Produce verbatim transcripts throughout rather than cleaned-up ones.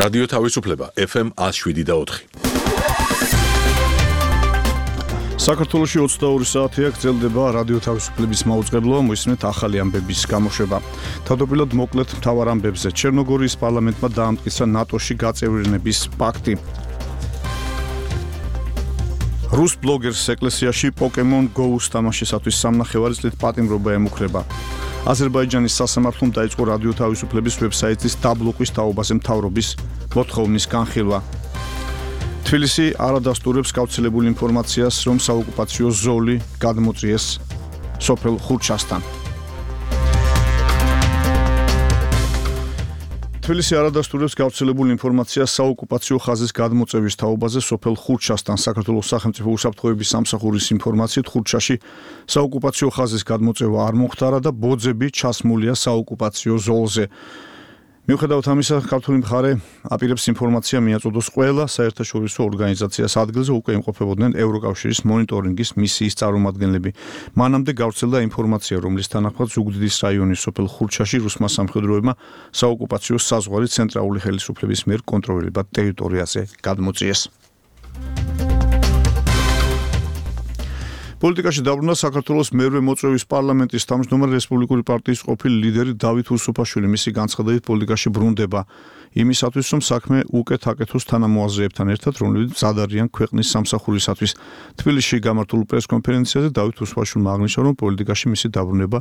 რადიო თავისუფლება ეფ ემ one oh seven და four. საქართველოში ოცდაორი საათია გრძელდება რადიო თავისუფლების მაუწყებლობა, მოისმენთ ახალი ამბების გამოშვება. თავდაპირველად მოკლედ მთავარ ამბებზე ჩერნოგორიის პარლამენტმა დაამტკიცა ნატოში გაწევრიანების პაქტი. რუს ბლოგერს ეკლესიაში Pokemon Go-ს თამაშისათვის სამნახევარი წლით პატიმრობა ემუქრება. აზერბაიჯანის სასამართლომ დაიწყო რადიო თავისუფლების ვებსაიტის დაბლოკვის თაობაზე მთავრობის მოთხოვნის განხილვა. თბილისი არ ადასტურებს გავრცელებულ ინფორმაციას, რომ საოკუპაციო ზოლი გადმოწიეს სოფელ ხურჩასთან. თბილისი არ ადასტურებს გავრცელებულ ინფორმაციას საოკუპაციო ხაზის გადმოწევის თაობაზე სოფელ ხურჩასთან. საქართველოს სახელმწიფო უსაფრთხოების სამსახურის ინფორმაციით ხურჩაში საოკუპაციო ხაზის გადმოწევა არ მოხდარა და ბოძები ჩასმულია საოკუპაციო ზოლზე. მიუხედავად ამისა, ქართული მხარე აპირებს ინფორმაცია მიაწოდოს ყველა საერთაშორისო ორგანიზაციას. ადგილზე უკვე იმყოფებოდნენ ევროკავშირის მონიტორინგის მისიის წარმომადგენლები. მანამდე გავრცელდა ინფორმაცია, რომლის თანახმად ზუგდიდის რაიონის სოფელ ხურჩაში რუსმა სამხედროებმა საოკუპაციო საზღვარი ცენტრალური ხელისუფლების მიერ კონტროლირებად ტერიტორიაზე გადმოწიეს. პოლიტიკაში დაბრუნდა საქართველოს მერვე მოწვევის პარლამენტის თავმჯდომარე რესპუბლიკური პარტიის ყოფილი ლიდერი დავით უსუფაშვილი. მისი განცხადებით პოლიტიკაში ბრუნდება იმისათვის, რომ საქმე უკეთ აკეთოს თანამოაზრეებთან ერთად, რომლებიც მზად არიან ქვეყნის სამსახურისათვის. თბილისში გამართულ პრესკონფერენციაზე დავით უსუფაშვილმა აღნიშნა, რომ პოლიტიკაში მისი დაბრუნება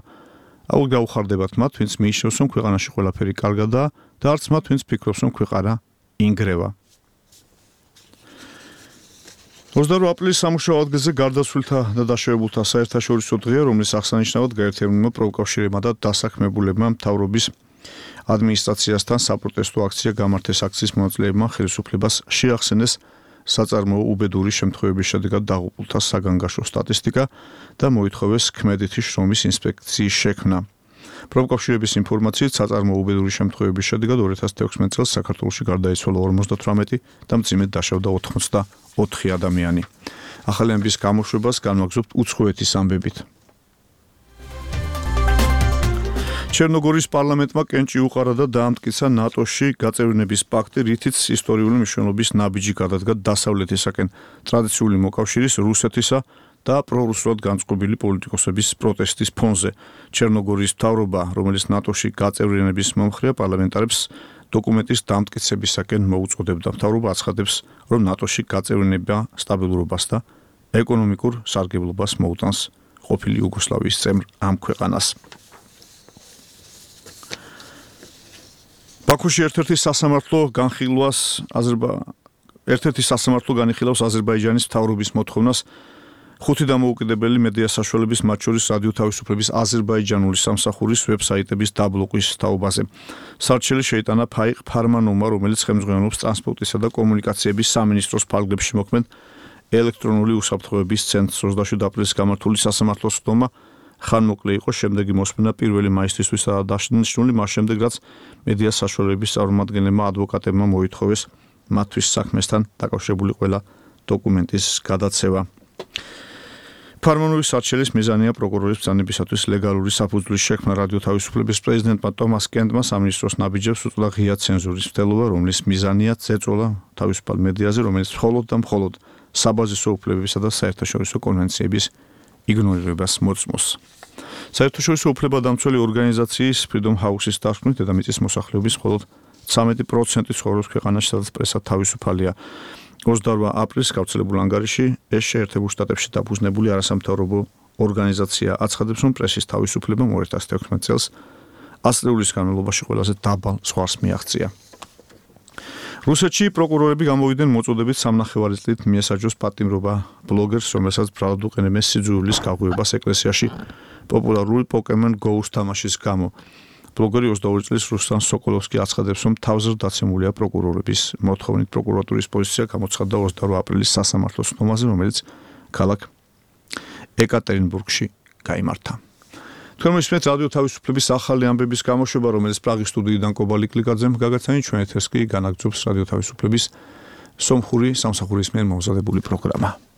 აუ გაუხარდებათ მათ, ვინც მიიჩნევს, რომ ქვეყანაში ყველაფერი კარგადაა და არც მათ, ვინც ფიქრობს, რომ ქვეყანა ინგრევა. ოცდაორი აპრილის სამუშაო ადგილზე გარდაცვლილთა და დაშავებულთა საერთაშორისო დღეა, რომლის აღსანიშნავად გაერთიანებულმა პროკავშირებმა და დასაქმებულებმა მთავრობის ადმინისტრაციასთან საპროტესტო აქცია გამართეს. აქციის მონაწილეებმა ხელისუფლებას შეახსენეს საწარმოო უბედური შემთხვევების შედეგად დაღუპულთა საგანგაშო სტატისტიკა და მოითხოვეს ქმედითი შრომის ინსპექციის შექმნა. პროკავშირების ინფორმაციით საწარმოო უბედური შემთხვევების შედეგად ორი ათას თექვსმეტ წელს საქართველოში გარდაიცვალა ორმოცდათვრამეტი და მძიმედ დაშავდა ოთხმოცდაოთხი ადამიანი. ახალი ამბის გამოშვებას განვაგრძობთ უცხოეთის ამბებით. ჩერნოგორიის პარლამენტმა კენჭი უყარა და დაამტკიცა ნატოში გაწევრიანების პაქტი, რითიც ისტორიული მნიშვნელობის ნაბიჯი გადადგა დასავლეთისაკენ ტრადიციული მოკავშირის რუსეთისა და პრორუსულად განწყობილი პოლიტიკოსების პროტესტის ფონზე. ჩერნოგორიის მთავრობა, რომელიც ნატოში გაწევრიანების მომხრეა, პარლამენტარებს დოკუმენტის დამტკიცებისაკენ მოუწოდებდა. მთავრობა აცხადებს, რომ ნატოში გაწევრიანება სტაბილურობას და ეკონომიკურ სარგებლობას მოუტანს ყოფილი იუგოსლავიის წევრ ამ ქვეყანას. ბაქოში ერთ-ერთი სასამართლო განხილვას აზერბა ერთ-ერთი სასამართლო განიხილავს აზერბაიჯანის მთავრობის მოთხოვნას ხუთი დამოუკიდებელი მედია საშუალების, მათ შორის რადიო თავისუფლების აზერბაიჯანული სამსახურის ვებსაიტების დაბლოკვის თაობაზე. სარჩელი შეიტანა ფაიყ ფარმანოვმა, რომელიც ხელმძღვანელობს ტრანსპორტისა და კომუნიკაციების სამინისტროს ფარგლებში მოქმედ ელექტრონული უსაფრთხოების ცენტრს. ოცდაშვიდი აპრილის გამართული სასამართლოს ხდომა ხანმოკლე იყო, შემდეგი მოსმენა პირველი მაისთვისაა დასანიშნული, მას შემდეგ რაც მედია საშუალების წარმომადგენლებმა ადვოკატებმა მოითხოვეს მათთვის საქმესთან დაკავშირებული ყველა დოკუმენტის გადაცევა. ფარმანოვის სარჩელის მიზანია პროკურორის ბრძანებისათვის ლეგალური საფუძვლის შექმნა. რადიო თავისუფლების პრეზიდენტმა ტომას კენტმა სამინისტროს ნაბიჯებს უწოდა ღია ცენზურის მცდელობა, რომლის მიზანია წეწოლა თავისუფალ მედიაზე, რომელიც მხოლოდ და მხოლოდ საბაზისო უფლებებისა და საერთაშორისო კონვენციების იგნორირებას მოწმობს. საერთაშორისო უფლებადამცველი ორგანიზაციის Freedom House-ის დასკვნით, დედამიწის მოსახლეობის მხოლოდ ცამეტი პროცენტი ცხოვრობს ქვეყანაში, სადაც პრესა თავისუფალია. ოცდაორი აპრილს გავრცელებულ ანგარიში ეს შეერთებულ შტატებში დაფუძნებული არასამთავრობო ორგანიზაცია აცხადებს, რომ პრესის თავისუფლებამ ორი ათას თექვსმეტ წელს ასწლეულის განმავლობაში ყველაზე დაბალ ზღვარს მიაღწია. რუსეთში პროკურორები გამოვიდნენ მოწოდებით სამნახევარი წლით მიესაჯოს პატიმრობა ბლოგერს, რომელსაც ბრალად უყენებენ სიძულვილის გაღვივებას ეკლესიაში პოპულარული Pokemon Go-ს თამაშის გამო. ბლოგერი ოცდაორი წლის რუსლან სოკოლოვსკი აცხადებს, რომ თავზრ დაცემულია პროკურორების მოთხოვნით. პროკურატურის პოზიცია გამოცხადდა ოცდაორი აპრილის სასამართლოს ხდომაზე, რომელიც ქალაქ ეკატერინბურგში გაიმართა. თქვენ მისმენთ რადიო თავისუფლების ახალი ამბების გამოშვება, რომელიც პრაღის სტუდიიდან კობალი კლიკაძემ გაგაცანით. ჩვენ ეთერს კი განაგრძობს რადიო თავისუფლების სომხური სამსახურის მიერ მომზადებული პროგრამა.